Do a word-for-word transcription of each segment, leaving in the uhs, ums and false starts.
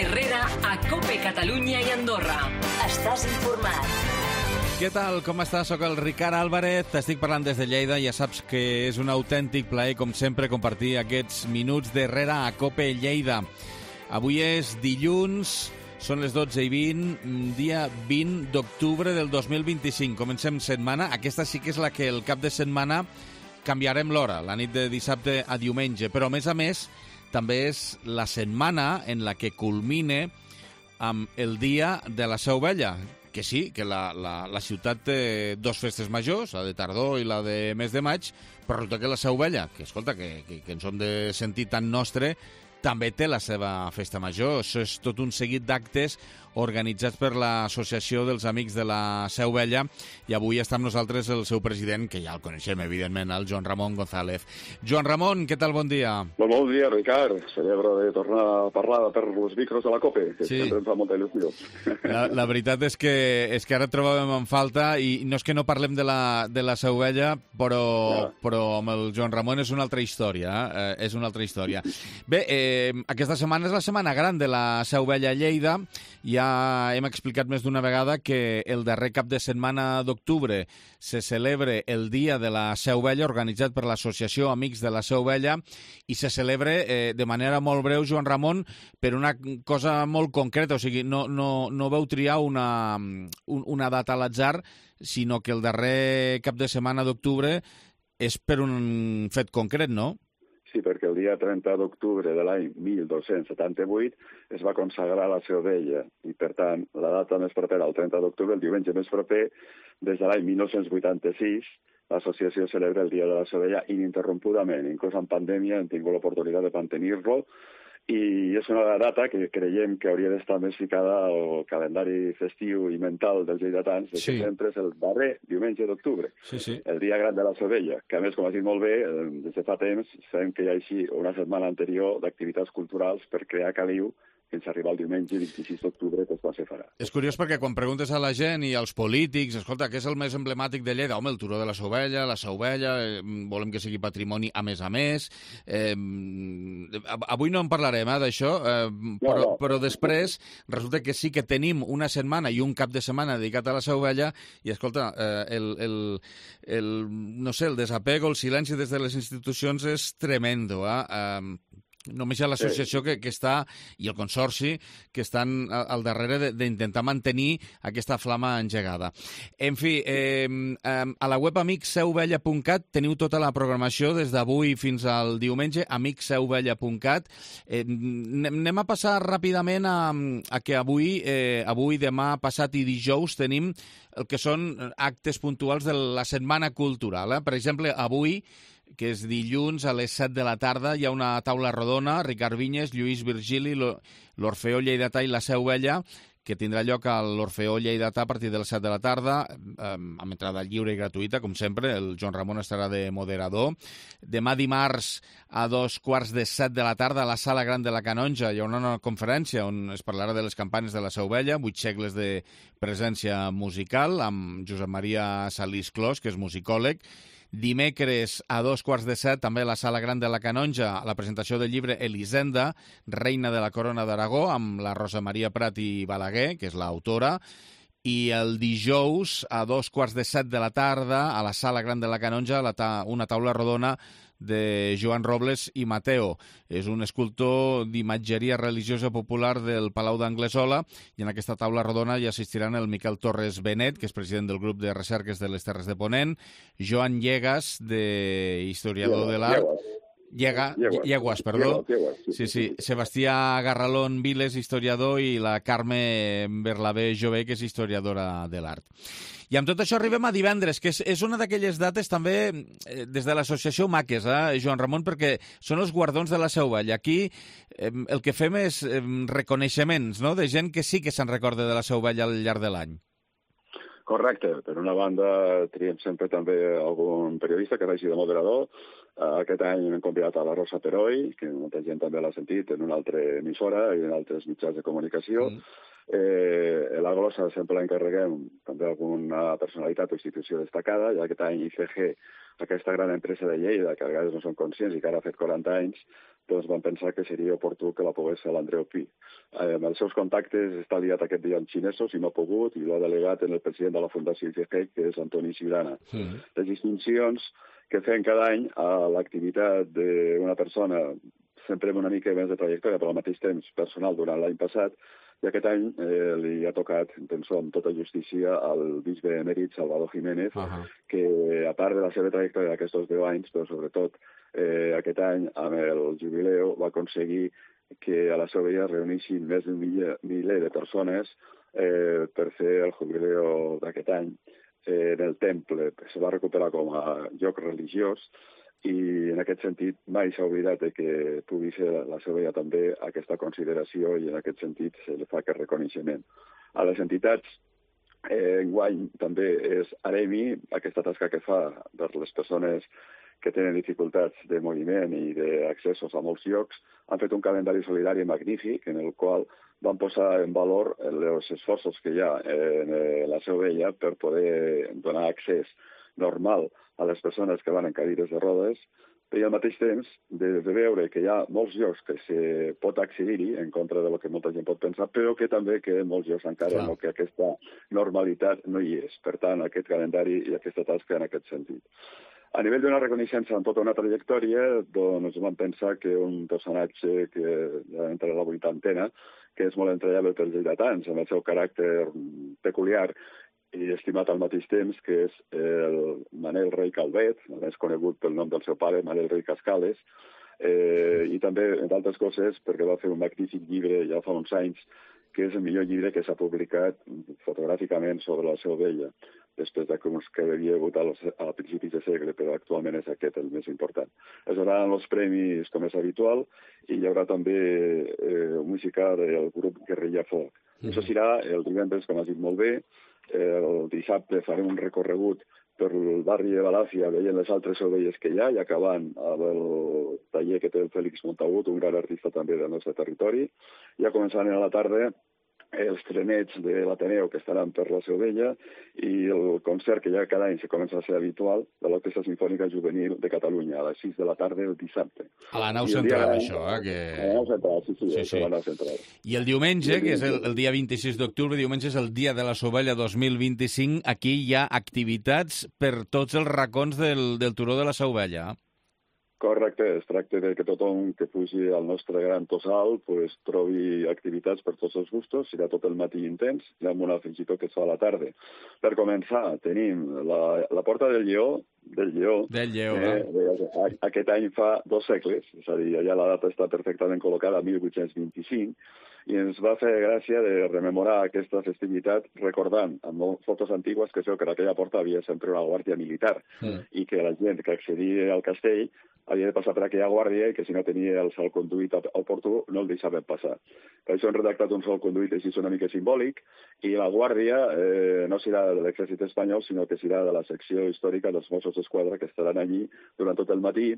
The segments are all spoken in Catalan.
Herrera a COPE Catalunya i Andorra. Estàs informat. Què tal? Com estàs? Soc el Ricard Álvarez, t'estic parlant des de Lleida. Ja saps que és un autèntic plaer, com sempre, compartir aquests minuts d'Herrera a COPE Lleida. Avui és dilluns, són les dotze i vint, dia vint d'octubre del dos mil vint-i-cinc. Comencem setmana. Aquesta sí que és la que el cap de setmana canviarem l'hora, la nit de dissabte a diumenge. Però, a més a més, també és la setmana en la que culmine amb el dia de la Seu Vella. Que sí, que la, la, la ciutat té dos festes majors, la de tardor i la de mes de maig, però resulta que la Seu Vella, que escolta, que, que, que ens hem de sentir tan nostre, també té la seva festa major. Això és tot un seguit d'actes organitzats per l'Associació dels Amics de la Seu Vella, i avui està amb nosaltres el seu president, que ja el coneixem, evidentment, el Joan Ramon González. Joan Ramon, què tal? Bon dia. Bon, bon dia, Ricard. Celebro de tornar a parlar per els micros de la COPE, que sí. Sempre em fa molta il·lusió. La, la veritat és que, és que ara et trobàvem en falta, i no és que no parlem de la, de la Seu Vella, però, ja. però amb el Joan Ramon és una altra història. Eh? És una altra història. Bé, eh, aquesta setmana és la setmana gran de la Seu Vella a Lleida. Ja hem explicat més d'una vegada que el darrer cap de setmana d'octubre se celebra el Dia de la Seu Vella, organitzat per l'Associació Amics de la Seu Vella, i se celebra eh, de manera molt breu, Joan Ramon, per una cosa molt concreta. O sigui, no, no, no vau triar una, un, una data a l'atzar, sinó que el darrer cap de setmana d'octubre és per un fet concret, no? Sí, perquè el dia trenta d'octubre de l'any mil dos-cents setanta-vuit es va consagrar la Seu Vella, i per tant la data més propera al trenta d'octubre, el diumenge més proper, des de l'any mil nou-cents vuitanta-sis, l'associació celebra el Dia de la Seu Vella ininterrompudament. Inclús en pandèmia hem tingut l'oportunitat de mantenir-lo, i és una data que creiem que hauria d'estar més ficada al calendari festiu i mental dels lleidatans, de sí. que sempre és el darrer diumenge d'octubre, sí, sí. el dia gran de la Seu Vella, que a més, com has dit molt bé, des de fa temps sabem que hi ha així una setmana anterior d'activitats culturals per crear caliu fins a arribar al diumenge vint-i-sis d'octubre, que és quan se farà. És curiós perquè quan preguntes a la gent i als polítics, escolta, què és el més emblemàtic de Lleida? Home, el turó de la Seu Vella, la Seu Vella, eh, volem que sigui patrimoni a més a més. Eh, avui no en parlarem, eh, d'això, eh, però, no, no. però després resulta que sí que tenim una setmana i un cap de setmana dedicat a la Seu Vella, i escolta, eh, el, el, el, no sé, el desapego, el silenci des de les institucions és tremendo, eh? eh Només hi ha l'associació que, que està, i el consorci, que estan al darrere d'intentar mantenir aquesta flama engegada. En fi, eh, a la web amics seu vella punt cat teniu tota la programació des d'avui fins al diumenge, amics seu vella punt cat. Eh, anem a passar ràpidament a, a que avui, eh, avui, demà, passat i dijous tenim el que són actes puntuals de la Setmana Cultural. Eh? Per exemple, avui, que és dilluns, a les set de la tarda, hi ha una taula rodona, Ricard Vinyes, Lluís Virgili, l'Orfeó Lleidatà i la Seu Vella, que tindrà lloc a l'Orfeó Lleidatà a partir de les set de la tarda, amb entrada lliure i gratuïta, com sempre. El Joan Ramon estarà de moderador. Demà dimarts, a dos quarts de set de la tarda, a la Sala Gran de la Canonja, hi haurà una conferència on es parlarà de les campanes de la Seu Vella, vuit segles de presència musical, amb Josep Maria Salís Clos, que és musicòleg. Dimecres, a dos quarts de set, també a la Sala Gran de la Canonja, la presentació del llibre Elisenda, reina de la corona d'Aragó, amb la Rosa Maria Prat i Balaguer, que és l'autora. I el dijous, a dos quarts de set de la tarda, a la Sala Gran de la Canonja, la ta una taula rodona de Joan Robles i Mateo. És un escultor d'imatgeria religiosa popular del Palau d'Anglesola, i en aquesta taula rodona hi assistiran el Miquel Torres Benet, que és president del grup de recerques de les Terres de Ponent, Joan Llegas, de historiador de l'art, Llega, Lleguas, Lleguas, perdó. Lleguas, sí, sí, sí. Sebastià Garralón Viles, historiador, i la Carme Berlabé Jové, que és historiadora de l'art. I amb tot això arribem a divendres, que és, és una d'aquelles dates també eh, des de l'associació Maques, eh, Joan Ramon, perquè són els guardons de la Seu Vella. Aquí eh, el que fem és eh, reconeixements, no?, de gent que sí que se'n recorda de la Seu Vella al llarg de l'any. Correcte. Per una banda, triem sempre també algun periodista que vagi de moderador. Aquest any hem convidat a la Rosa Teroi, que molta gent també l'ha sentit en una altra emissora i en altres mitjans de comunicació. Mm. Eh, a la glossa sempre l'encarreguem també alguna personalitat o institució destacada, i aquest any I C G, aquesta gran empresa de Lleida, que a vegades no són conscients i que ara ha fet quaranta anys, doncs van pensar que seria oportú que la pogués fer l'Andreu Pi. Eh, amb els seus contactes està liat aquest dia amb xinesos i no ha pogut, i l'ha delegat en el president de la Fundació I C G, que és Antoni Ciurana. Mm. Les distincions que fem cada any a l'activitat d'una persona, sempre amb una mica més de trajectòria, però al mateix temps personal durant l'any passat, i aquest any eh, li ha tocat, penso, amb tota justícia, al bisbe emèrit Salvador Jiménez, uh -huh. que, a part de la seva trajectòria d'aquests deu anys, però sobretot eh, aquest any, amb el jubileu, va aconseguir que a la seva vella reunissin més d'un miler de persones eh, per fer el jubileu d'aquest any. Eh, en el temple se va recuperar com a lloc religiós, i en aquest sentit mai s'ha oblidat de que pugui ser la seva vella també aquesta consideració, i en aquest sentit se li fa aquest reconeixement. A les entitats, eh, enguany també és Aremi, aquesta tasca que fa per les persones que tenen dificultats de moviment i d'accessos a molts llocs, han fet un calendari solidari magnífic en el qual van posar en valor els esforços que hi ha en la seva vella per poder donar accés normal a les persones que van en cadires de rodes, i al mateix temps de, de veure que hi ha molts llocs que se pot accedir-hi, en contra del que molta gent pot pensar, però que també que en molts llocs encara no, que aquesta normalitat no hi és. Per tant, aquest calendari i aquesta tasca en aquest sentit. A nivell d'una reconeixença en tota una trajectòria, doncs vam pensar que un personatge que ja entra a la vuitantena, que és molt entrellable pels lleidatans, amb el seu caràcter peculiar i estimat al mateix temps, que és el Manel Rei Calvet, més conegut pel nom del seu pare, Manel Rei Cascales, eh, i també, entre altres coses, perquè va fer un magnífic llibre ja fa uns anys, que és el millor llibre que s'ha publicat fotogràficament sobre la seva vella, després de que havia hagut a principis de segle, però actualment és aquest el més important. Es donaran els premis com és habitual, i hi haurà també eh, música del grup Guerrilla Folk. Mm. Això serà el divendres, com has dit molt bé. El dissabte farem un recorregut per el barri de Balàfia, veient les altres ovelles que hi ha, i acabant amb el taller que té el Fèlix Montagut, un gran artista també del nostre territori. Ja començant a la tarda els trenets de l'Ateneu que estaran per la Seu Vella, i el concert que ja cada any se comença a ser habitual de l'Orquestra Simfònica Juvenil de Catalunya, a les sis de la tarda el dissabte. A la nau central, això, eh? Que... A la nau central, sí, sí, sí, sí. A la nau central. I el diumenge, que és el, el dia vint-i-sis d'octubre, diumenge és el dia de la Sovella dos mil vint-i-cinc, aquí hi ha activitats per tots els racons del, del Turó de la Sovella. Correcte, es tracta de que tothom que fugi al nostre gran tossal pues, trobi activitats per tots els gustos, serà tot el matí intens, i amb una fins i tot que es fa a la tarda. Per començar, tenim la, la Porta del Lleó, del Lleó, del Lleó eh, eh, aquest any fa dos segles, és a dir, allà la data està perfectament col·locada, mil vuit-cents vint-i-cinc, i ens va fer gràcia de rememorar aquesta festivitat recordant amb fotos antigues que es veu que en aquella porta havia sempre una guàrdia militar, mm. i que la gent que accedia al castell havia de passar per aquella guàrdia i que si no tenia el salconduit oportú no el deixaven passar. Per això hem redactat un salconduit així una mica simbòlic, i la guàrdia eh, no serà de l'exèrcit espanyol, sinó que serà de la secció històrica dels Mossos d'Esquadra, que estaran allí durant tot el matí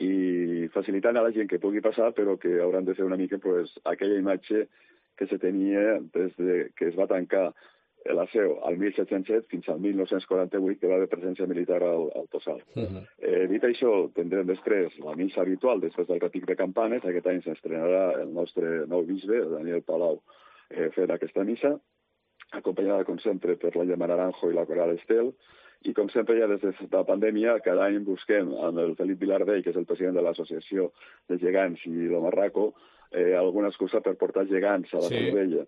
i facilitant a la gent que pugui passar, però que hauran de fer una mica pues, aquella imatge que se tenia des de que es va tancar la Seu al mil set-cents set fins al mil nou-cents quaranta-vuit, que va haver presència militar al, al Tossal. Uh -huh. eh, dit això, tindrem després la missa habitual, després del repic de campanes. Aquest any s'estrenarà el nostre nou bisbe, Daniel Palau, eh, fent aquesta missa, acompanyada, com sempre, per la Gemma Naranjo i la Coral Estel. I, com sempre, ja des de la pandèmia, cada any busquem amb el Felip Vilardell, que és el president de l'Associació de Gegants i l'Omarraco, eh, alguna excusa per portar gegants a la Seu Vella.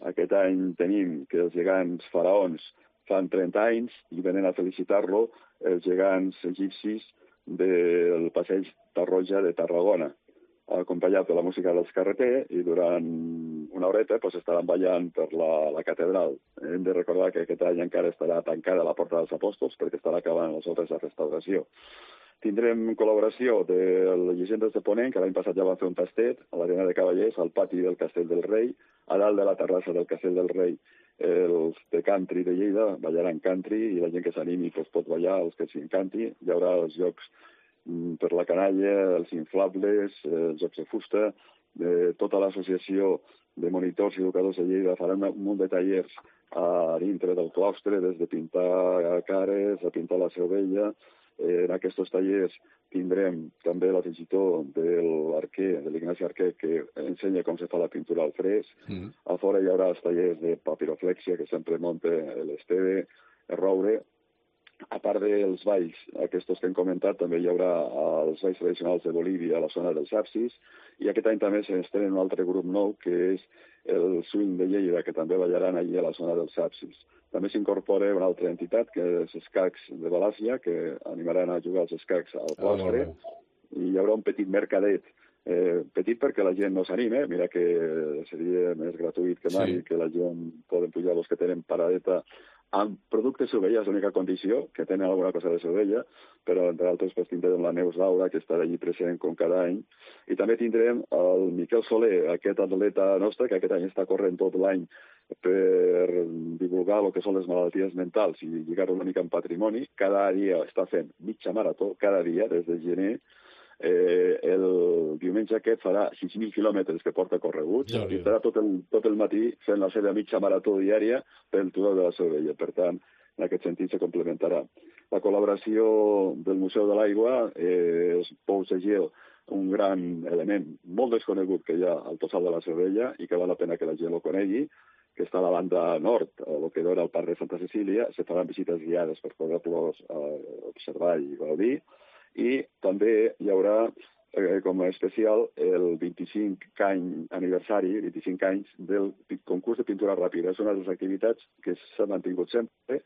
Aquest any tenim que els gegants faraons fan trenta anys i venen a felicitar-lo els gegants egipcis del passeig Tarroja de Tarragona, acompanyat de la música dels Carreter, i durant una horeta pues, estaran ballant per la, la catedral. Hem de recordar que aquest any encara estarà tancada la Porta dels Apòstols perquè estarà acabant les obres de restauració. Tindrem col·laboració de les llegendes de Ponent, que l'any passat ja van fer un tastet a l'Arena de Cavallers, al pati del Castell del Rei, a dalt de la terrassa del Castell del Rei. Els de country de Lleida ballaran country, i la gent que s'animi pues, pot ballar, els que s'encanti. Hi haurà els jocs mm, per la canalla, els inflables, els jocs de fusta, de tota l'associació de monitors i educadors de Lleida faran un munt de tallers a dintre del claustre, des de pintar cares, a pintar la Seu Vella, En aquests tallers tindrem també l'afegitó de l'Arquer, de l'Ignasi Arquer, que ensenya com se fa la pintura al fresc. Mm. A fora hi haurà els tallers de papiroflexia, que sempre munta l'Esteve, el Roure. A part dels balls, aquests que hem comentat, també hi haurà els balls tradicionals de Bolívia a la zona dels Apsis, i aquest any també s'estrena un altre grup nou, que és el Swing de Lleida, que també ballaran allí a la zona dels Apsis. També s'incorpora una altra entitat, que és Escacs de Valàsia, que animaran a jugar els escacs al claustre, oh, i hi haurà un petit mercadet, eh, petit perquè la gent no s'anime, mira que seria més gratuït que mai, sí. Que la gent poden pujar els que tenen paradeta amb productes Sovella, és l'única condició, que tenen alguna cosa de Sovella, però entre altres pues, tindrem la Neus Laura, que estarà allí present com cada any, i també tindrem el Miquel Soler, aquest atleta nostre, que aquest any està corrent tot l'any per divulgar el que són les malalties mentals i lligar-ho una mica en patrimoni. Cada dia està fent mitja marató, cada dia, des de gener. Eh, el diumenge aquest farà sis mil quilòmetres que porta correguts, ja, i estarà tot el, tot el matí fent la seva mitja marató diària pel Turó de la Sovella. Per tant, en aquest sentit se complementarà. La col·laboració del Museu de l'Aigua eh, és Pou Segel, un gran element molt desconegut que hi ha al Tossal de la Sovella i que val la pena que la gent el conegui, que està a la banda nord, a lo que dona el Parc de Santa Cecília. Se faran visites guiades per poder-los eh, observar i gaudir. I també hi haurà, eh, com a especial, el vint-i-cinc any aniversari, vint-i-cinc anys, del concurs de pintura ràpida. És una de les activitats que s'ha mantingut sempre,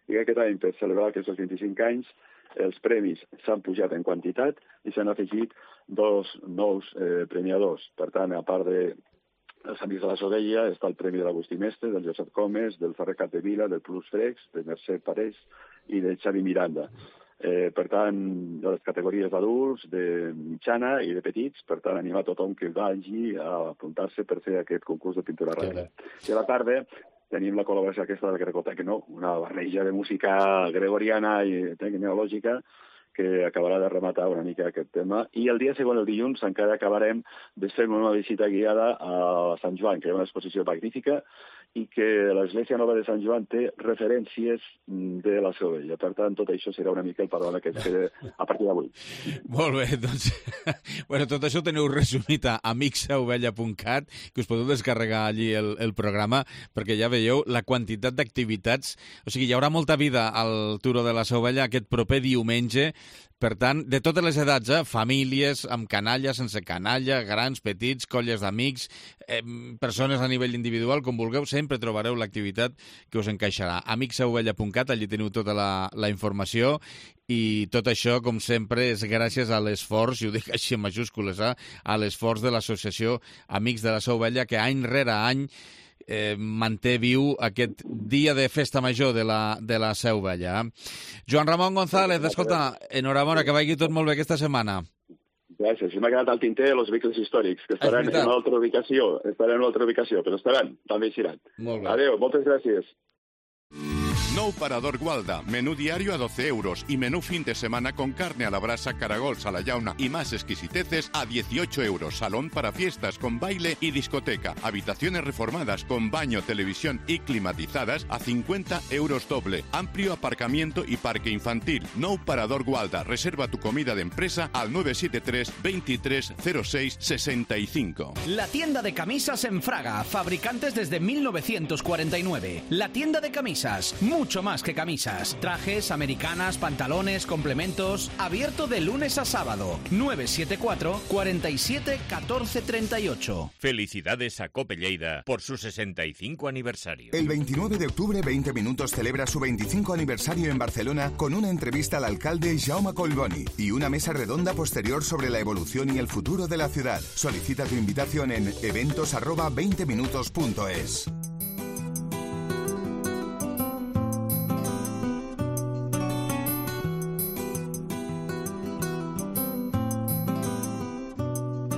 i aquest any, per celebrar aquests vint-i-cinc anys, els premis s'han pujat en quantitat i s'han afegit dos nous eh, premiadors. Per tant, a part de els Amics de la Sovella, està el Premi de l'Agustí Mestre, del Josep Comes, del Ferrer Capdevila, del Plus Frex, de Mercè Parés i de Xavi Miranda. Eh, per tant, de les categories d'adults, de mitjana i de petits, per tant, animar tothom que vagi a apuntar-se per fer aquest concurs de pintura ràpida. I a la tarda tenim la col·laboració aquesta del Gregotecno, una barreja de música gregoriana i tecnològica que acabarà de rematar una mica aquest tema. I el dia següent, el dilluns, encara acabarem de fer una visita guiada a Sant Joan, que hi ha una exposició magnífica i que l'Església Nova de Sant Joan té referències de la Sovella. Per tant, tot això serà una mica el panorama que té a partir d'avui. Molt bé, doncs, bueno, tot això teniu resumit a amics ovella punt cat, que us podeu descarregar allí el, el programa, perquè ja veieu la quantitat d'activitats. O sigui, hi haurà molta vida al Turó de la Sovella aquest proper diumenge. Per tant, de totes les edats, eh? Famílies, amb canalla, sense canalla, grans, petits, colles d'amics, eh, persones a nivell individual, com vulgueu, sempre trobareu l'activitat que us encaixarà. amics ovella punt cat, allí teniu tota la, la informació, i tot això, com sempre, és gràcies a l'esforç, i ho dic així en majúscules, eh? A l'esforç de l'associació Amics de la Sovella, que any rere any Eh, manté viu aquest dia de festa major de la, de la Seu Vella. Joan Ramon González, escolta, enhorabona, que vagi tot molt bé aquesta setmana. Gràcies. I m'ha quedat al tinter els vehicles històrics, que estaran en una altra ubicació, estaran en una altra ubicació, però estaran, també eixiran. Molt bé. Adéu, moltes gràcies. Nou Parador Gualda, menú diario a doce euros y menú fin de semana con carne a la brasa, caragols a la llauna y más exquisiteces a dieciocho euros. Salón para fiestas con baile y discoteca. Habitaciones reformadas con baño, televisión y climatizadas a cincuenta euros doble. Amplio aparcamiento y parque infantil. Nou Parador Gualda. Reserva tu comida de empresa al nueve siete tres, veintitrés cero seis sesenta y cinco. La tienda de camisas en Fraga. Fabricantes desde mil novecientos cuarenta y nueve. La tienda de camisas. Mucho más que camisas. Trajes, americanas, pantalones, complementos. Abierto de lunes a sábado. nueve siete cuatro, cuarenta y siete, catorce treinta y ocho. Felicidades a Cope Lleida por su sesenta y cinco aniversario. El veintinueve de octubre, veinte Minutos celebra su veinticinco aniversario en Barcelona con una entrevista al alcalde Jaume Collboni y una mesa redonda posterior sobre la evolución y el futuro de la ciudad. Solicita tu invitación en eventos arroba veinte minutos punto es.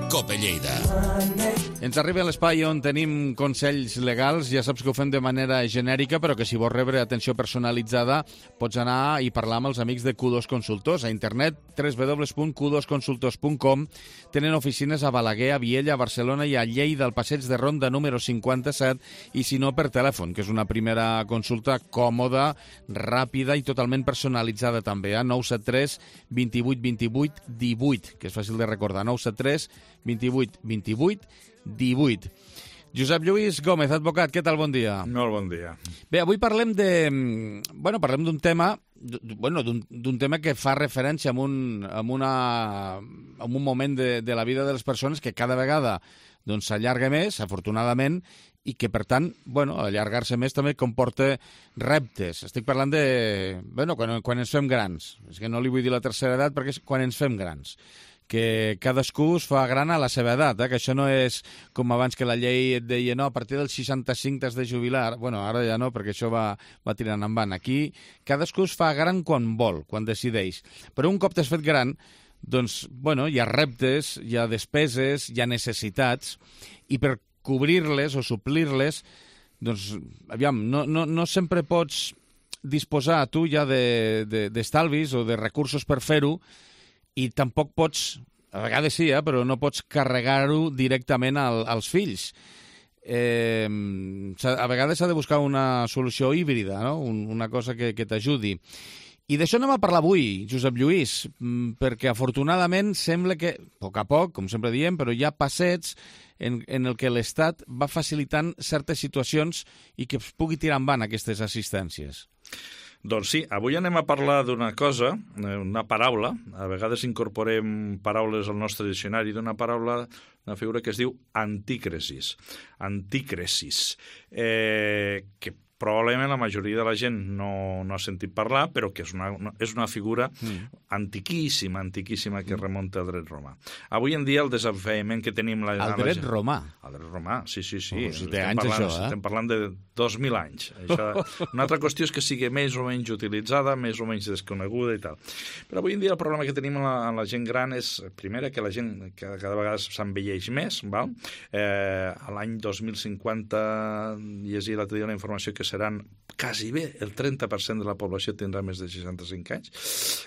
Cope Lleida. Ens arriba a l'espai on tenim consells legals. Ja saps que ho fem de manera genèrica, però que si vols rebre atenció personalitzada pots anar i parlar amb els amics de Q dos Consultors. A internet, w w w punt q dos consultors punt com. Tenen oficines a Balaguer, a Viella, a Barcelona i a Lleida, al passeig de Ronda número cinquanta-set, i si no, per telèfon, que és una primera consulta còmoda, ràpida i totalment personalitzada també, a nou set tres, vint vuit, vint vuit, divuit, que és fàcil de recordar, nou set tres, vint vuit, vint vuit, divuit. Josep Lluís Gómez, advocat, què tal? Bon dia. Molt bon dia. Bé, avui parlem de... Bueno, parlem d'un tema bueno, d'un tema que fa referència a un, a una, a un moment de, de la vida de les persones que cada vegada doncs, s'allarga més, afortunadament, i que, per tant, bueno, allargar-se més també comporta reptes. Estic parlant de... Bueno, quan, quan ens fem grans. És que no li vull dir la tercera edat perquè és quan ens fem grans. Que cadascú es fa gran a la seva edat, eh? Que això no és com abans que la llei et deia no, a partir dels seixanta-cinc t'has de jubilar. Bueno, ara ja no, perquè això va, va tirant en van. Aquí cadascú es fa gran quan vol, quan decideix. Però un cop t'has fet gran, doncs, bueno, hi ha reptes, hi ha despeses, hi ha necessitats, i per cobrir-les o suplir-les, doncs, aviam, no, no, no sempre pots disposar tu ja d'estalvis de, de, o de recursos per fer-ho, i tampoc pots, a vegades sí, eh, però no pots carregar-ho directament al, als fills. Eh, a vegades s'ha de buscar una solució híbrida, no? Un, una cosa que, que t'ajudi. I d'això anem a parlar avui, Josep Lluís, perquè afortunadament sembla que, a poc a poc, com sempre diem, però hi ha passets en, en el que l'Estat va facilitant certes situacions i que es pugui tirar endavant aquestes assistències. Doncs sí, avui anem a parlar d'una cosa, una paraula, a vegades incorporem paraules al nostre diccionari, d'una paraula, una figura que es diu antícresis. Antícresis, eh, que probablement la majoria de la gent no, no ha sentit parlar, però que és una, és una figura mm. antiquíssima, antiquíssima, que remunta al dret romà. Avui en dia el desafiament que tenim... La, el dret la, romà? El dret romà, sí, sí, sí. Oh, si té anys parlant, això, eh? Estem parlant de dos mil anys. Això, una altra qüestió és que sigui més o menys utilitzada, més o menys desconeguda i tal. Però avui en dia el problema que tenim amb la, amb la gent gran és, primera, que la gent cada, cada vegada s'envelleix més, val? Eh, a l'any dos mil cinquanta llegia l'altre dia una informació que seran quasi bé el trenta per cent de la població tindrà més de seixanta-cinc anys.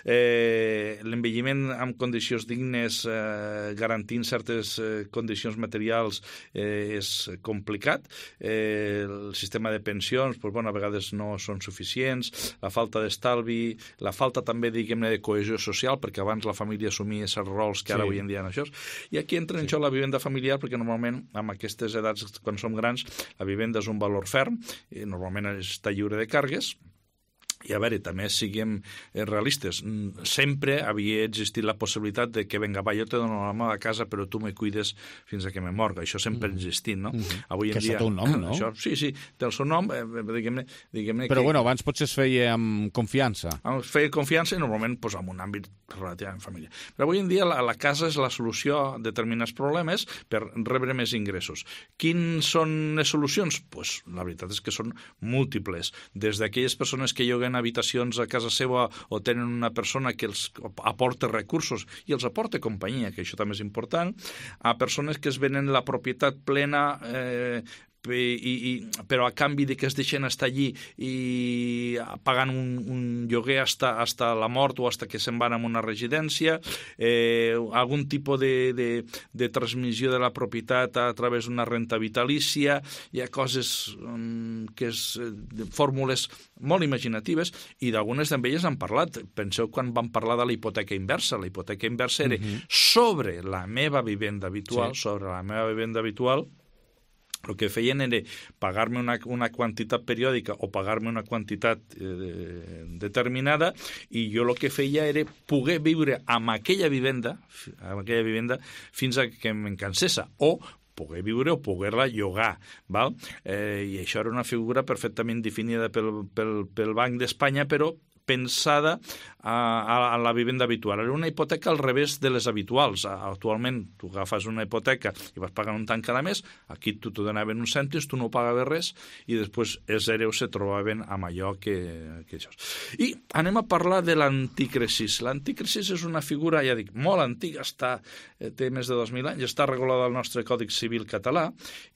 Eh, l'envelliment amb condicions dignes, eh, garantint certes eh, condicions materials, eh, és complicat. Eh, el sistema de pensions, pues, bueno, a vegades no són suficients, la falta d'estalvi, la falta també, diguem-ne, de cohesió social, perquè abans la família assumia aquests rols que ara sí. Avui en dia no això. I aquí entra en sí. Això la vivenda familiar, perquè normalment, amb aquestes edats, quan som grans, la vivenda és un valor ferm, i normalment està lliure de càrregues. I a veure, també siguem realistes. Sempre havia existit la possibilitat de que, vinga, va, jo te dono la meva casa, però tu me cuides fins a que me morga. Això sempre ha existit, no? Mm-hmm. Avui en que dia... això té un nom, no? Això, sí, sí, té el seu nom, eh, diguem-ne... Diguem però, que... bueno, abans potser es feia amb confiança. Es feia confiança i normalment pues, en un àmbit relativament familiar. Però avui en dia la, la casa és la solució a determinats problemes per rebre més ingressos. Quins són les solucions? Pues, la veritat és que són múltiples. Des d'aquelles persones que lloguen habitacions a casa seva o tenen una persona que els aporta recursos i els aporta companyia, que això també és important, a persones que es venen la propietat plena eh, I, i, però a canvi de que es deixen estar allí i pagant un, un lloguer hasta, hasta la mort o hasta que se'n van a una residència, eh, algun tipus de, de, de transmissió de la propietat a través d'una renta vitalícia. Hi ha coses um, que és de fórmules molt imaginatives i d'algunes d'elles han parlat. Penseu quan van parlar de la hipoteca inversa. La hipoteca inversa era uh-huh. sobre la meva vivenda habitual, sí. sobre la meva vivenda habitual. El que feien era pagar-me una, una quantitat periòdica o pagar-me una quantitat eh, determinada i jo el que feia era poder viure amb aquella vivenda, amb aquella vivenda fins a que me'n cansés o poder viure o poder-la llogar. Val? Eh, I això era una figura perfectament definida pel, pel, pel Banc d'Espanya, però pensada a, a, a la vivenda habitual. Era una hipoteca al revés de les habituals. Actualment, tu agafes una hipoteca i vas pagant un tant cada mes, aquí tu te donaven uns cèntims, tu no pagaves res, i després els hereus se trobaven amb allò que, que això. I anem a parlar de l'anticresis. L'anticresis és una figura, ja dic, molt antiga, està, té més de dos mil anys, està regulada al nostre Codi Civil català,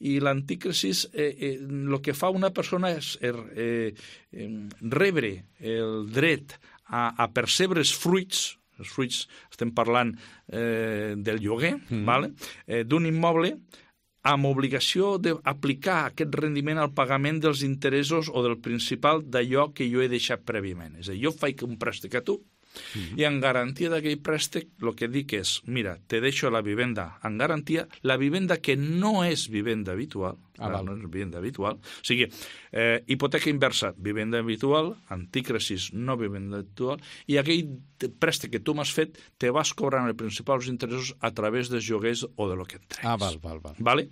i l'anticresis, eh, eh, el que fa una persona és eh, eh, rebre el dret a, a percebre els fruits, els fruits, estem parlant eh, del lloguer, mm. vale? eh, d'un immoble, amb obligació d'aplicar aquest rendiment al pagament dels interessos o del principal d'allò que jo he deixat prèviament. És a dir, jo faig un préstec a tu, Mm-hmm. i en garantia d'aquell préstec el que dic és, mira, te deixo la vivenda en garantia, la vivenda que no és vivenda habitual, ah, no és vivenda habitual, o sigui, eh, hipoteca inversa, vivenda habitual, anticresis, no vivenda habitual, i aquell préstec que tu m'has fet te vas cobrant els principals interessos a través dels lloguers o de lo que et treguis. Ah, val, val, val. Vale?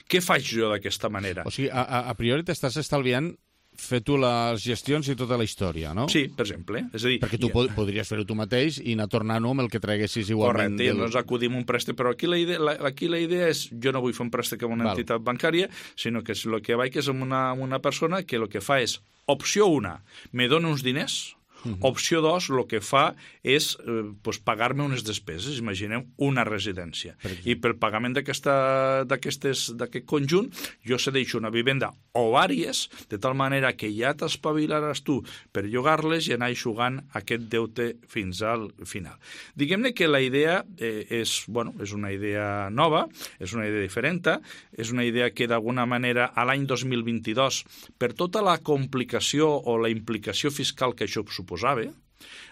Què faig jo d'aquesta manera? O sigui, a, a, a priori t'estàs estalviant fer tu les gestions i tota la història, no? Sí, per exemple. És a dir, perquè tu ja... pod podries fer-ho tu mateix i anar tornant-ho amb el que treguessis igualment. Correcte, del... doncs acudim un préstec, però aquí la, idea, la, aquí la idea és, jo no vull fer un préstec amb una Val. entitat bancària, sinó que el que vaig és amb una, amb una persona que el que fa és, opció una, me dona uns diners, Uh -huh. opció dos, el que fa és eh, pues, pagar-me unes despeses, imagineu una residència. Per I pel pagament d'aquest conjunt jo cedeixo una vivenda o vàries, de tal manera que ja t'espavilaràs tu per llogar-les i anar eixugant aquest deute fins al final. Diguem-ne que la idea eh, és, bueno, és una idea nova, és una idea diferent, és una idea que d'alguna manera a l'any dos mil vint-i-dos, per tota la complicació o la implicació fiscal que això suposa, posava,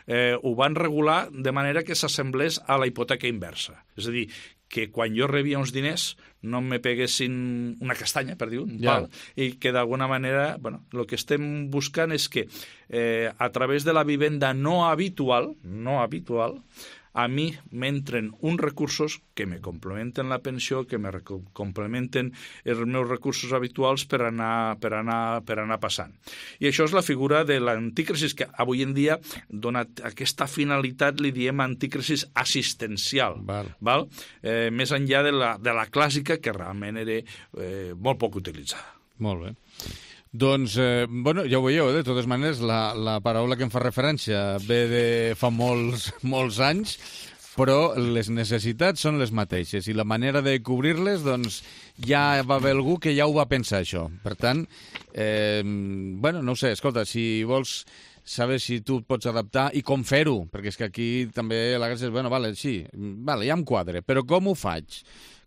eh, ho van regular de manera que s'assemblés a la hipoteca inversa. És a dir, que quan jo rebia uns diners no me peguessin una castanya, per dir un ja. pal, i que d'alguna manera, bueno, el que estem buscant és que eh, a través de la vivenda no habitual, no habitual, a mi m'entren uns recursos que me complementen la pensió, que me complementen els meus recursos habituals per anar, per anar, per anar passant. I això és la figura de l'anticresis, que avui en dia, donat aquesta finalitat, li diem anticresis assistencial, val. Val? Eh, més enllà de la, de la clàssica, que realment era eh, molt poc utilitzada. Molt bé. Doncs, eh, bueno, ja ho veieu, eh? De totes maneres, la, la paraula que em fa referència ve de fa molts, molts anys, però les necessitats són les mateixes i la manera de cobrir-les, doncs, ja va haver algú que ja ho va pensar, això. Per tant, eh, bueno, no ho sé, escolta, si vols saber si tu et pots adaptar i com fer-ho, perquè és que aquí també la gràcia és, bueno, vale, sí, vale, ja em quadre, però com ho faig?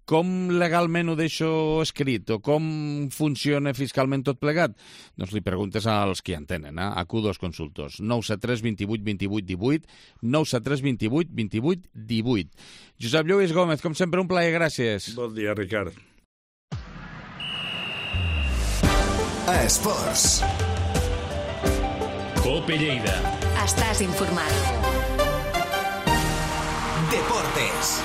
Com legalment ho deixo escrit o com funciona fiscalment tot plegat? Doncs li preguntes als qui entenen, eh? A Q dos Consultors. nou set tres vint vuit vint vuit divuit, nou set tres vint vuit vint vuit divuit. Josep Lluís Gómez, com sempre, un plaer, gràcies. Bon dia, Ricard. Esports. Cope Lleida. Estàs informat. Deportes.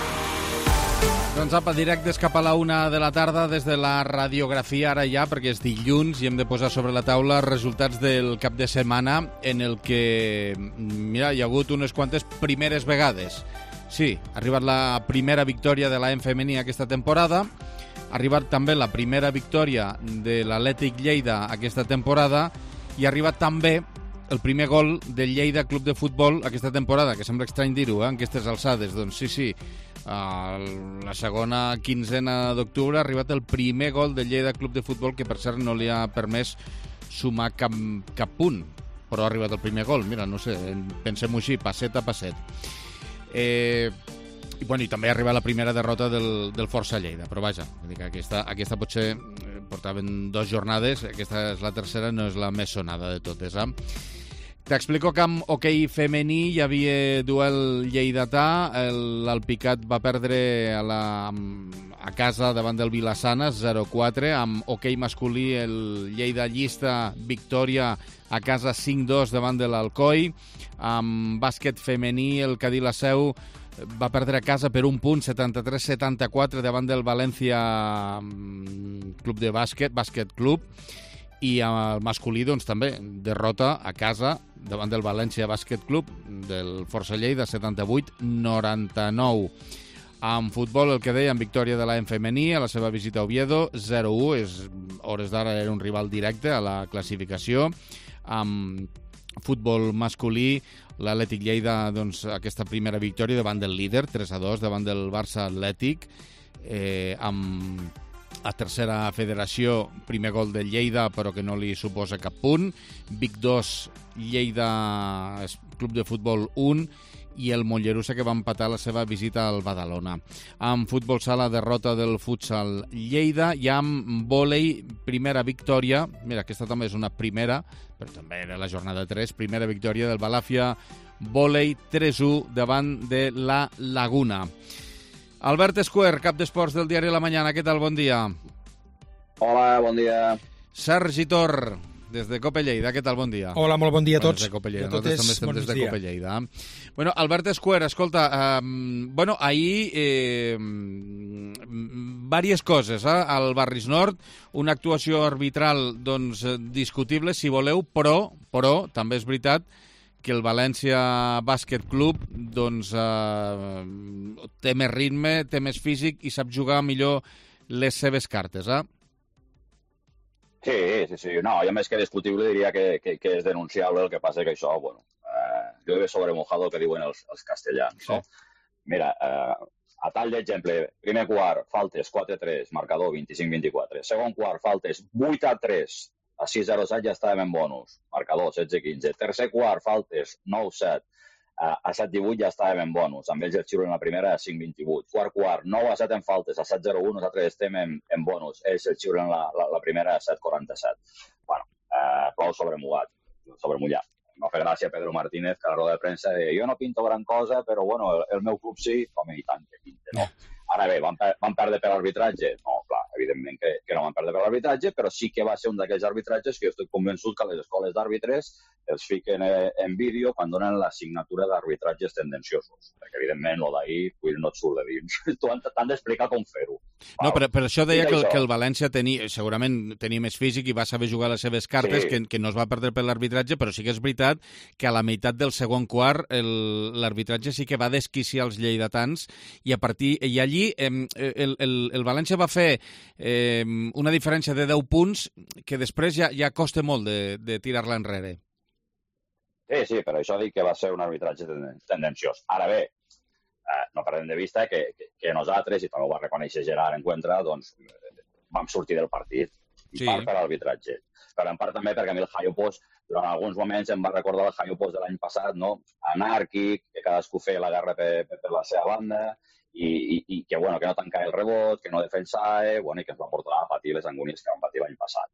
Doncs apa, directes cap a la una de la tarda des de la radiografia, ara ja, perquè és dilluns i hem de posar sobre la taula resultats del cap de setmana en el que, mira, hi ha hagut unes quantes primeres vegades. Sí, ha arribat la primera victòria de l'A E M femení aquesta temporada, ha arribat també la primera victòria de l'Atlètic Lleida aquesta temporada i ha arribat també el primer gol del Lleida Club de Futbol aquesta temporada, que sembla estrany dir-ho, eh, en aquestes alçades. Doncs sí, sí, a la segona quinzena d'octubre ha arribat el primer gol del Lleida Club de Futbol, que per cert no li ha permès sumar cap, cap punt, però ha arribat el primer gol. Mira, no sé, pensem-ho així, passet a passet. Eh, i, bueno, i també ha arribat la primera derrota del, del Força Lleida, però vaja, aquesta, aquesta potser portaven dues jornades, aquesta és la tercera, no és la més sonada de totes, eh? T'explico que amb hoquei femení hi havia duel lleidatà, l'Alpicat va perdre a, la, a casa davant del Vilassana zero quatre, amb hoquei masculí el Lleida Llista victòria a casa cinc dos davant de l'Alcoi, amb bàsquet femení el Cadí la Seu va perdre a casa per un punt, setanta-tres setanta-quatre davant del València Club de Bàsquet, Bàsquet Club. I el masculí, doncs, també, derrota a casa davant del València Bàsquet Club del Força Lleida, setanta-vuit noranta-nou. En futbol, el que deia, en victòria de l'A M femení a la seva visita a Oviedo, zero u, és, hores d'ara era un rival directe a la classificació. En futbol masculí, l'Atlètic Lleida, doncs, aquesta primera victòria davant del líder, tres a dos, davant del Barça Atlètic, eh, amb a tercera federació, primer gol del Lleida, però que no li suposa cap punt. Vic dos, Lleida Club de Futbol un, i el Mollerussa, que va empatar la seva visita al Badalona. En futbol sala, derrota del Futsal Lleida, i amb vòlei, primera victòria, mira, aquesta també és una primera, però també era la jornada tres, primera victòria del Balàfia vòlei tres a u davant de la Laguna. Albert Escuer, cap d'esports del diari La Mañana, què tal? Bon dia. Hola, bon dia. Sergi Tor, des de Cope Lleida, què tal? Bon dia. Hola, molt bon dia a tots. Des de Cope Lleida, a totes, nosaltres també estem des de dia. Cope Lleida. Bueno, Albert Escuer, escolta, eh, bueno, ahir eh, diverses coses, eh? Al Barris Nord, una actuació arbitral, doncs, discutible, si voleu, però, però també és veritat que el València Bàsquet Club, doncs, eh, té més ritme, té més físic i sap jugar millor les seves cartes, eh? Sí, sí, sí. No, jo més que discutible diria que, que, que és denunciable, el que passa que això, bueno, eh, llueve sobre mojado, que diuen els, els castellans, no? Sí. Mira, eh, a tall d'exemple, primer quart, faltes quatre a tres, marcador vint-i-cinc a vint-i-quatre. Segon quart, faltes vuit a tres, a sis a set ja estàvem en bonus, marcador setze a quinze. Tercer quart, faltes nou a set, a set a divuit ja estàvem en bonus, amb ells el xiulen la primera a cinc a vint-i-vuit. Quart quart, nou a set en faltes, a set a zero u, nosaltres estem en, en bonus, ells el xiulen la, la, la primera a set a quaranta-set. Bueno, eh, plou sobremullat, sobremullat. No fa gràcia Pedro Martínez, que a la roda de premsa deia jo no pinto gran cosa, però bueno, el, el meu club sí, home, i tant que pinte, no? Ara bé, van, per, van perdre per arbitratge? No, clar, evidentment que, que no van perdre per arbitratge, però sí que va ser un d'aquells arbitratges que jo estic convençut que les escoles d'àrbitres els fiquen en vídeo quan donen la signatura d'arbitratges tendenciosos. Perquè, evidentment, el d'ahir pues, no et surt de dins. Tu t'han d'explicar com fer-ho. No, però per això deia que el, que el València tenia, segurament tenia més físic i va saber jugar les seves cartes, sí. que, que no es va perdre per l'arbitratge, però sí que és veritat que a la meitat del segon quart l'arbitratge sí que va desquiciar els lleidatans i a partir i allí eh, el, el, el València va fer eh, una diferència de deu punts que després ja, ja costa molt de, de tirar-la enrere. Sí, sí, per això dic que va ser un arbitratge tendenciós. Ara bé, eh, no perdem de vista que, que, que nosaltres, i també ho va reconèixer Gerard Encuentra, doncs vam sortir del partit, i sí. part per l'arbitratge. Però en part també perquè a mi el Jaio Pos, durant alguns moments em va recordar el Jaio Pos de l'any passat, no? Anàrquic, que cadascú feia la guerra per, per, per la seva banda, i, i, i que, bueno, que no tancava el rebot, que no defensava, bueno, i que ens va portar a patir les angúnies que vam patir l'any passat.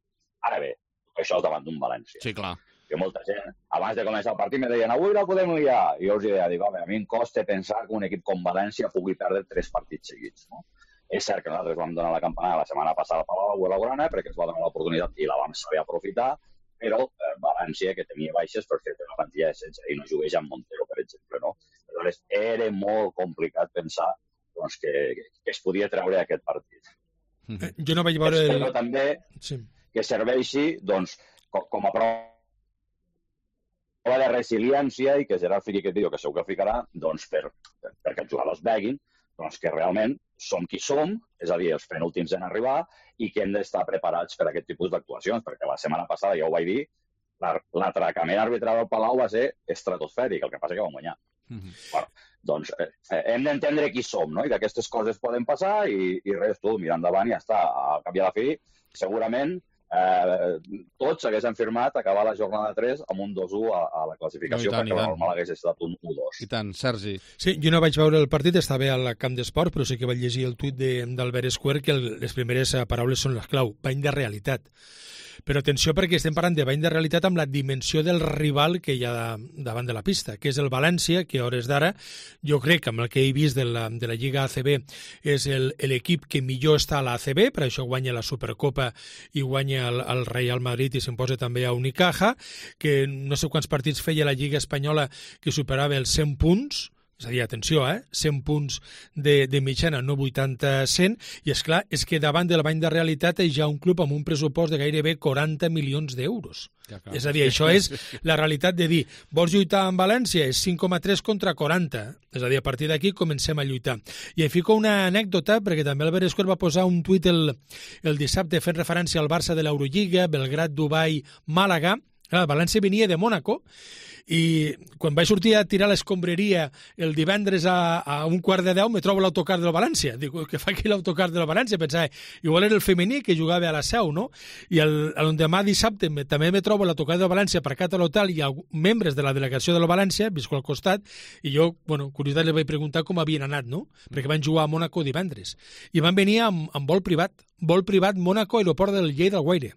Ara bé, això és davant d'un València. Sí, clar. Que molta gent, abans de començar el partit, me deien avui no podem liar. I jo els deia, dic, home, a mi em costa pensar que un equip com València pugui perdre tres partits seguits, no? És cert que nosaltres vam donar la campanada la setmana passada a Palau Blaugrana perquè ens va donar l'oportunitat i la vam saber aprofitar, però eh, València, que tenia baixes, per fer una plantilla de setze i no jugués amb Montero, per exemple, no? Aleshores, era molt complicat pensar doncs, que, que es podia treure aquest partit. Eh, jo no vaig veure... Espero el... també sí. que serveixi doncs, com, com a prova de resiliència i que Gerard fiqui aquest vídeo, que segur que ficarà, doncs, per, per, perquè els jugadors veguin doncs, que realment som qui som, és a dir, els penúltims en arribar, i que hem d'estar preparats per a aquest tipus d'actuacions, perquè la setmana passada, ja ho vaig dir, l'atracament arbitral al Palau va ser estratosfèric, el que passa que vam guanyar. Mm-hmm. Bueno, doncs eh, hem d'entendre qui som, no? I que aquestes coses poden passar i, i res, tu, mirar endavant i ja està. Al cap i a la fi, segurament, Eh, tots haguessin firmat acabar la jornada tres amb un dos a u a, a la classificació, no, tant, perquè normal hagués estat un u dos. I tant, Sergi. Sí, jo no vaig veure el partit, estava al camp d'esport, però sí que vaig llegir el tuit d'Albert Escuer que el, les primeres paraules són les clau, bany de realitat. Però atenció perquè estem parlant de bany de realitat amb la dimensió del rival que hi ha davant de la pista, que és el València, que a hores d'ara, jo crec que amb el que he vist de la, de la Lliga A C B és l'equip que millor està a la A C B, per això guanya la Supercopa i guanya el, el Real Madrid i s'imposa també a Unicaja, que no sé quants partits feia la Lliga Espanyola que superava els cent punts, és a dir, atenció, eh? cent punts de, de mitjana, no vuitanta cent, i és clar, és que davant del bany de realitat hi ha un club amb un pressupost de gairebé quaranta milions d'euros. Ja, és a dir, això és la realitat de dir, vols lluitar amb València? És cinc coma tres contra quaranta. És a dir, a partir d'aquí comencem a lluitar. I em fico una anècdota, perquè també Albert Esquer va posar un tuit el, el dissabte fent referència al Barça de l'Eurolliga, Belgrat, Dubai, Màlaga. Clar, València venia de Mònaco, i quan vaig sortir a tirar l'escombreria el divendres a, a un quart de deu me trobo l'autocar del València. Dic, què fa aquí l'autocar del València? Pensava, igual era el femení que jugava a la Seu, no? I el, el demà dissabte me, també me trobo l'autocar del València aparcat a l'hotel i alguns membres de la delegació del València, visco al costat, i jo, bueno, curiositat, li vaig preguntar com havien anat, no? Perquè van jugar a Mònaco divendres. I van venir amb, amb vol privat. Vol privat Mònaco, aeroport del Lleida Guaire.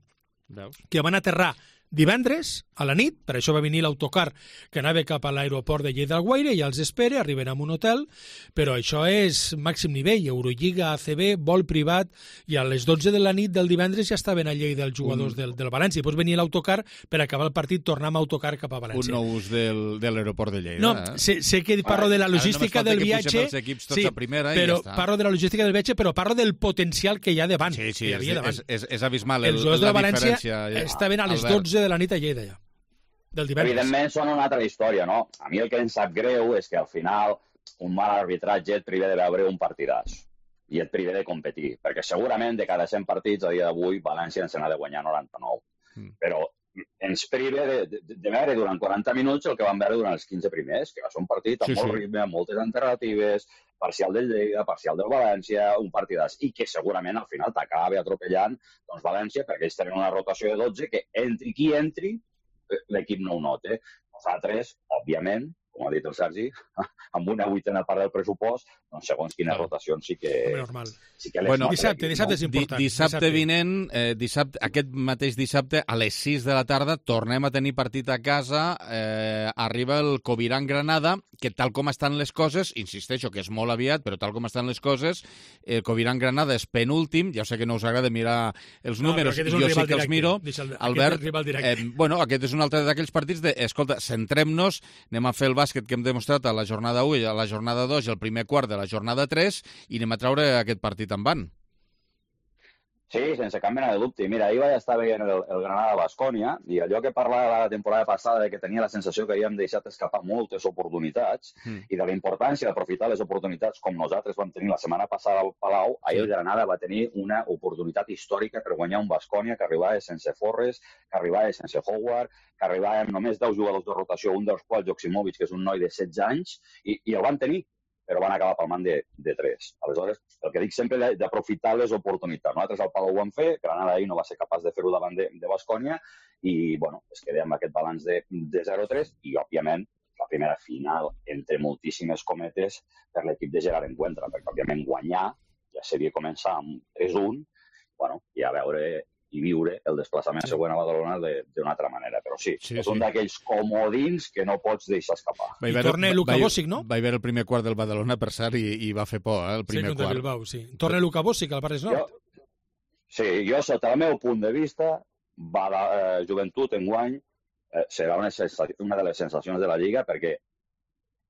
Veus? Que van aterrar divendres, a la nit, per això va venir l'autocar que anava cap a l'aeroport de Lleida del Guaire, ja els espera, arriben a un hotel, però això és màxim nivell, Eurolliga, A C B, vol privat, i a les dotze de la nit del divendres ja estaven a Lleida els jugadors un... del, del València, i després venia l'autocar per acabar el partit, tornar amb autocar cap a València. Un nou ús del, de l'aeroport de Lleida. No, eh? sé, sé que parlo de la logística del viatge, sí, primera, però ja parlo de la logística del viatge, però parlo del potencial que hi ha davant. Sí, sí, que hi és, és, és, és abismal el, els jugadors de la València diferència. Estaven a les dotze de la nit a Lleida ja. Del divendres. Evidentment són una altra història, no? A mi el que em sap greu és que al final un mal arbitratge et priva de veure un partidàs i et priva de competir, perquè segurament de cada cent partits a dia d'avui València ens n'ha de guanyar noranta-nou. Mm. Però ens priva de, de, de veure durant quaranta minuts el que vam veure durant els quinze primers, que va ser un partit amb sí, molt sí. ritme, amb moltes alternatives, parcial del Lleida, parcial del València, un partidàs, i que segurament al final t'acaba atropellant doncs, València, perquè ells tenen una rotació de dotze que entri qui entri, l'equip no ho nota. Nosaltres, òbviament, com ha dit el Sergi, amb una vuitena part del pressupost, doncs segons quines rotacions sí que... Normal. Sí que les bueno, dissabte, dissabte és important. Dissabte, dissabte vinent, eh, dissabte, aquest mateix dissabte, a les sis de la tarda, tornem a tenir partit a casa, eh, arriba el Coviran-Granada, que tal com estan les coses, insisteixo que és molt aviat, però tal com estan les coses, el Coviran-Granada és penúltim, ja sé que no us agrada mirar els no, números, jo sí que els miro. Albert, eh, bueno, aquest és un altre d'aquells partits de, escolta, centrem-nos, anem a fer el bàsquet que hem demostrat a la jornada u i a la jornada dos i al primer quart de la jornada tres i anem a traure aquest partit en van. Sí, sense cap mena de dubte. Mira, ahir vaig estar veient el, el Granada-Bascònia i allò que parlava la temporada passada de que tenia la sensació que havíem deixat escapar moltes oportunitats mm. i de la importància d'aprofitar les oportunitats com nosaltres vam tenir la setmana passada al Palau, ahir sí. el Granada va tenir una oportunitat històrica per guanyar un Bascònia que arribava sense Forres, que arribava sense Howard, que arribava amb només deu jugadors de rotació, un dels quals Joksimovic, que és un noi de setze anys, i, i el van tenir, però van acabar palmant de, de tres. Aleshores, el que dic sempre és d'aprofitar les oportunitats. Nosaltres al Palau ho vam fer, Granada ahir no va ser capaç de fer-ho davant de, de Bascònia i, bueno, es quedem amb aquest balanç de, de zero tres i, òbviament, la primera final, entre moltíssimes cometes, per l'equip de Gerard Encuentra, perquè, òbviament, guanyar ja seria començar amb tres un, bueno, i a veure i viure el desplaçament següent a Badalona d'una altra manera. Però sí, sí és sí. un d'aquells comodins que no pots deixar escapar. I torna Luka Bosic, no? Va haver el primer quart del Badalona, per cert, i, i va fer por, eh, el primer sí, quart. Bilbao, sí. Torna Luka Bosic al Barres Nord. Jo, sí, jo, sota el meu punt de vista, va la eh, joventut enguany eh, serà una, una de les sensacions de la Lliga, perquè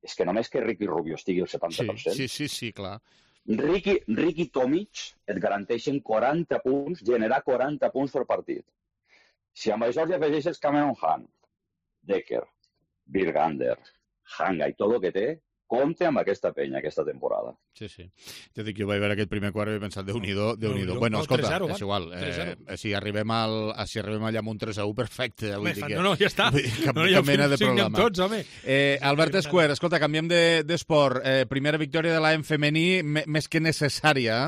és que només que Ricky Rubio estigui al setanta per cent... Sí, sí, sí, sí, clar. Ricky, Ricky Tomic et garanteixen quaranta punts, generar quaranta punts per partit. Si amb això hi afegeixes Cameron Hunt, Decker, Virgander, Hanga i tot el que té, compte amb aquesta penya aquesta temporada. Sí, sí. Jo dic, jo vaig veure aquest primer quart i vaig pensar, Déu-n'hi-do, Déu-n'hi-do. Bueno, escolta, és igual. Eh, si arribem al, si arribem allà amb un tres a u, perfecte. Vull dir que, no, no, ja està. Cap, no, ja cap mena de problema. Tots, home. Eh, Albert Esquer, escolta, canviem d'esport. De, eh, primera victòria de l'A M femení, més que necessària.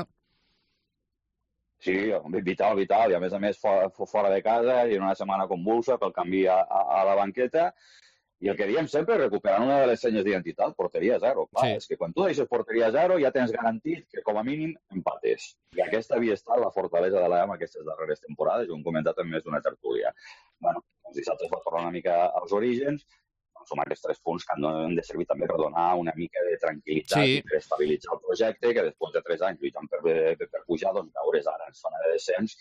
Sí, vital, vital. I a més a més fora, fora de casa i en una setmana convulsa pel canvi a, a, a la banqueta. I el que diem sempre, recuperant una de les senyes d'identitat, porteria zero. Clar, sí. És que quan tu deixes porteria zero ja tens garantit que com a mínim empates. I aquesta havia estat la fortalesa de l'A M aquestes darreres temporades, ho hem comentat en més d'una tertúlia. Bueno, doncs dissabte es va tornar una mica als orígens, doncs som aquests tres punts que han de servir també per donar una mica de tranquil·litat sí. i per estabilitzar el projecte, que després de tres anys lluitant per, per, per pujar, doncs veures ara en zona de descens,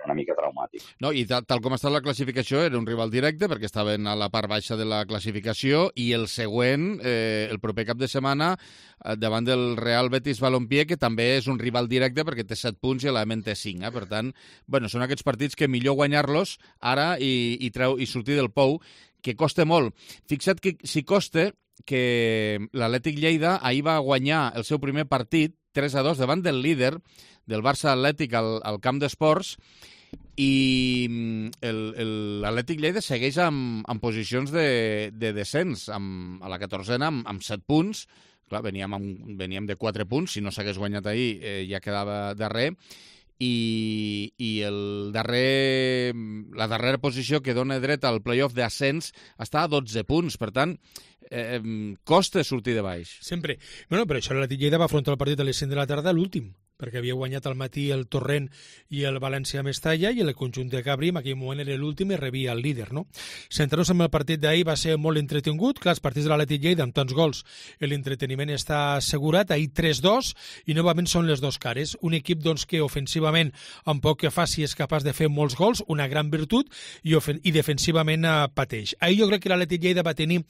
una mica traumàtic. No, i tal, tal com està la classificació, era un rival directe, perquè estaven a la part baixa de la classificació, i el següent, eh, el proper cap de setmana, eh, davant del Real Betis Balompié, que també és un rival directe, perquè té set punts i l'A M té cinc. Eh? Per tant, bueno, són aquests partits que millor guanyar-los ara i, i, treu, i sortir del pou, que costa molt. Fixa't que si costa que l'Atlètic Lleida ahir va guanyar el seu primer partit tres a dos davant del líder del Barça Atlètic al, al camp d'esports, i l'Atlètic Lleida segueix amb, amb posicions de, de descens, amb, a la catorzena amb, amb set punts. Clar, veníem, amb, veníem de quatre punts, si no s'hagués guanyat ahir eh, ja quedava darrer, i, i el darrer, la darrera posició que dona dret al playoff d'ascens està a dotze punts, per tant, eh, costa sortir de baix. Sempre. Bueno, però això l'Atlètic Lleida va afrontar el partit a les cinc de la tarda, l'últim, perquè havia guanyat al matí el Torrent i el València Mestalla, i el conjunt de Cabri en aquell moment era l'últim i rebia el líder, no? Centrar-nos en el partit d'ahir va ser molt entretingut. Clar, els partits de l'Atlètic Lleida amb tants gols, l'entreteniment està assegurat. Ahir tres dos, i novament són les dos cares. Un equip doncs, que ofensivament, amb poc que faci, és capaç de fer molts gols, una gran virtut, i, i defensivament eh, pateix. Ahir jo crec que l'Atlètic Lleida va tenir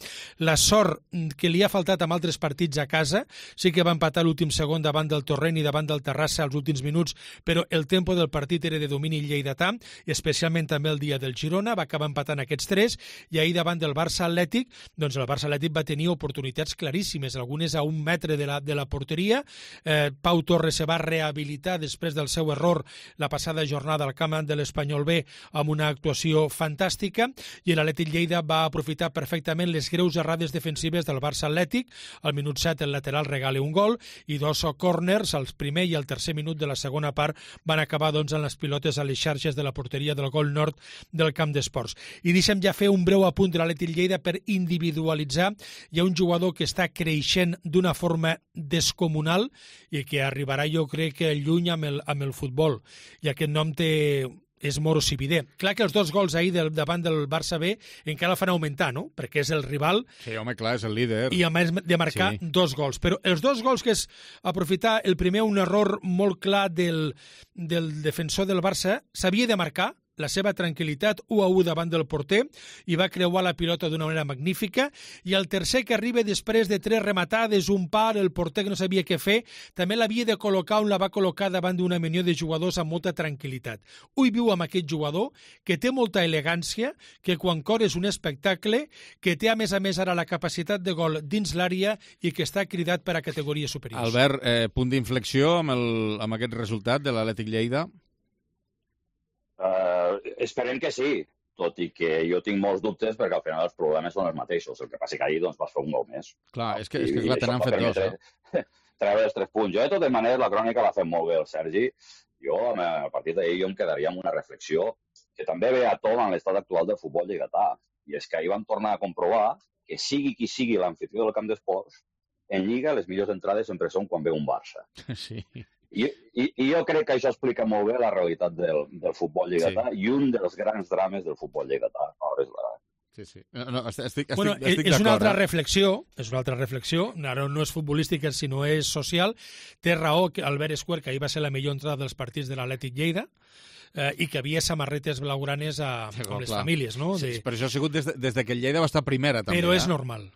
la sort que li ha faltat amb altres partits a casa. Sí que va empatar l'últim segon davant del Torrent i davant del Terrassa als últims minuts, però el tempo del partit era de domini lleidatà, especialment també el dia del Girona, va acabar empatant aquests tres, i ahir davant del Barça Atlètic, doncs el Barça Atlètic va tenir oportunitats claríssimes, algunes a un metre de la, de la porteria. Eh, Pau Torres se va rehabilitar després del seu error la passada jornada al camp de l'Espanyol B amb una actuació fantàstica, i l'Atlètic Lleida va aprofitar perfectament les greus errades defensives del Barça Atlètic. Al minut set el lateral regala un gol, i dos corners, el primer i el tercer minut de la segona part, van acabar doncs en les pilotes a les xarxes de la porteria del gol nord del camp d'esports. I deixem ja fer un breu apunt de l'Atlètic Lleida per individualitzar. Hi ha un jugador que està creixent d'una forma descomunal i que arribarà, jo crec, que lluny amb el, amb el futbol. I aquest nom té... és Moro Sividé. Clar que els dos gols ahir del, davant del Barça B encara el fan augmentar, no? Perquè és el rival. Sí, home, clar, és el líder. I a més de marcar sí. dos gols. Però els dos gols que és aprofitar, el primer un error molt clar del, del defensor del Barça, s'havia de marcar, la seva tranquil·litat, u a u davant del porter, i va creuar la pilota d'una manera magnífica, i el tercer que arriba després de tres rematades, un par, el porter que no sabia què fer, també l'havia de col·locar on la va col·locar davant d'una menió de jugadors amb molta tranquil·litat. Ui viu amb aquest jugador, que té molta elegància, que quan cor és un espectacle, que té a més a més ara la capacitat de gol dins l'àrea i que està cridat per a categories superiors. Albert, eh, punt d'inflexió amb, el, amb aquest resultat de l'Atlètic Lleida? Uh, esperem que sí, tot i que jo tinc molts dubtes perquè al final els problemes són els mateixos. El que passa que ahir doncs, vas fer un gol més. Clar, és que, és que clar, t'han fet dos. Eh? Treure els tres punts. Jo, de totes maneres, la crònica l'ha fet molt bé el Sergi. Jo, a partir d'ahir, jo em quedaria amb una reflexió que també ve a tot en l'estat actual del futbol lleidatà. I és que ahir vam tornar a comprovar que sigui qui sigui l'anfitrió del camp d'esports, en Lliga les millors entrades sempre són quan ve un Barça. Sí. I, i, I jo crec que això explica molt bé la realitat del, del futbol lleidatà sí. i un dels grans drames del futbol lleidatà. Sí, sí. No, no, estic, estic, bueno, estic és una altra eh? reflexió, és una altra reflexió, ara no és futbolística sinó és social. Té raó que Albert Esquer, que ahir va ser la millor entrada dels partits de l'Atlètic Lleida, eh, i que havia samarretes blaugranes a, sí, amb les clar. famílies, no? De... Sí, però això ha sigut des de, des de que el Lleida va estar primera, també. Però eh? és normal.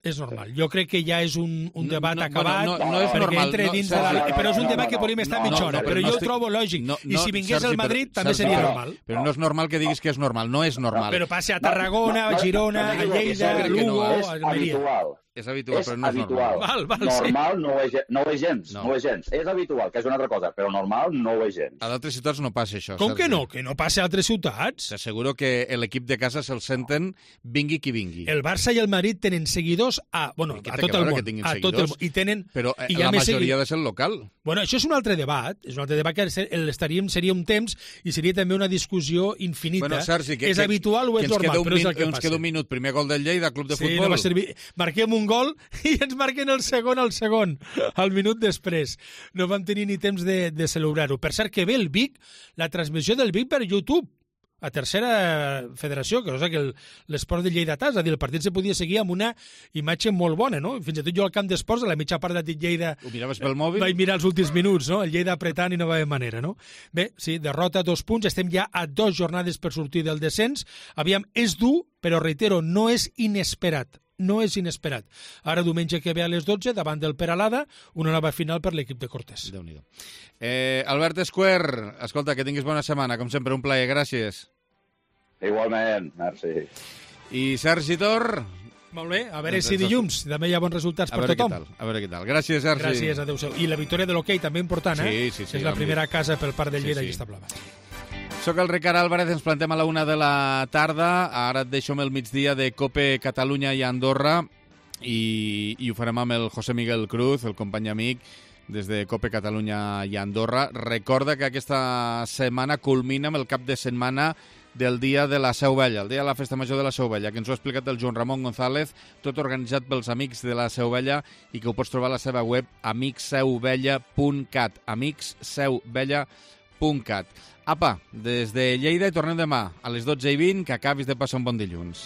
És normal. Jo crec que ja és un, un debat no, no, acabat, bueno, no, no és normal, entre dins no, de la... però és un debat que podríem estar mitja hora, però jo ho trobo lògic. No, no, I si vingués Sergi, el Madrid, però, també Sergi, seria però, normal. Però no és normal que diguis que és normal, no és normal. Però passa a Tarragona, a Girona, a Lleida, a Lugo, a Almeria. És habitual, és però no és habitual. normal. Val, val, normal sí. no, ho és, no ho és gens, no. no ho és gens. És habitual, que és una altra cosa, però normal no ho és gens. A d'altres ciutats no passa això. Com Sergi. que no? Que no passa a altres ciutats? T'asseguro que l'equip de casa se'l senten vingui qui vingui. El Barça i el Madrid tenen seguidors a, bueno, a tot el món. A tot el món. I tenen, però i la majoria ha de ser local. Bueno, això és un altre debat. És un altre debat que estaríem, seria un temps i seria també una discussió infinita. Bueno, Sergi, que, és habitual o és normal? Però és el que ens queda un minut. Primer gol del Lleida, club de sí, futbol. No va servir. Marquem un gol i ens marquen el segon al segon, al minut després. No vam tenir ni temps de, de celebrar-ho. Per cert, que ve el Vic, la transmissió del Vic per YouTube. a tercera federació, que és que l'esport de Lleidatà, és a dir, el partit se podia seguir amb una imatge molt bona, no? Fins i tot jo al camp d'esports, a la mitja part de Lleida... Ho miraves pel mòbil? Vaig mirar els últims minuts, no? El Lleida apretant i no va haver manera, no? Bé, sí, derrota, dos punts, estem ja a dos jornades per sortir del descens. Aviam, és dur, però reitero, no és inesperat. No és inesperat. Ara, diumenge que ve a les dotze, davant del Peralada, una nova final per l'equip de Cortés. Déu-n'hi-do. Eh, Albert Esquer, escolta, que tinguis bona setmana. Com sempre, un plaer. Gràcies. Igualment, merci. I Sergi Tor... Molt bé, a veure si dilluns també hi ha bons resultats per tothom. Tal, a veure què tal. Gràcies, Sergi. Gràcies, adéu-siau. I la victòria de l'hoquei també important, eh? Sí, sí, sí. És la primera casa pel Parc de Lleida sí, sí. i està blava. Soc el Ricard Álvarez, ens plantem a la una de la tarda. Ara et deixo amb el migdia de Cope Catalunya i Andorra i, i ho farem amb el José Miguel Cruz, el company amic des de Cope Catalunya i Andorra. Recorda que aquesta setmana culmina amb el cap de setmana del dia de la Seu Vella, el dia de la Festa Major de la Seu Vella, que ens ho ha explicat el Joan Ramon González, tot organitzat pels amics de la Seu Vella i que ho pots trobar a la seva web amics seu vella punt cat, amics seu vella punt cat. Apa, des de Lleida i tornem demà a les dotze i vint, que acabis de passar un bon dilluns.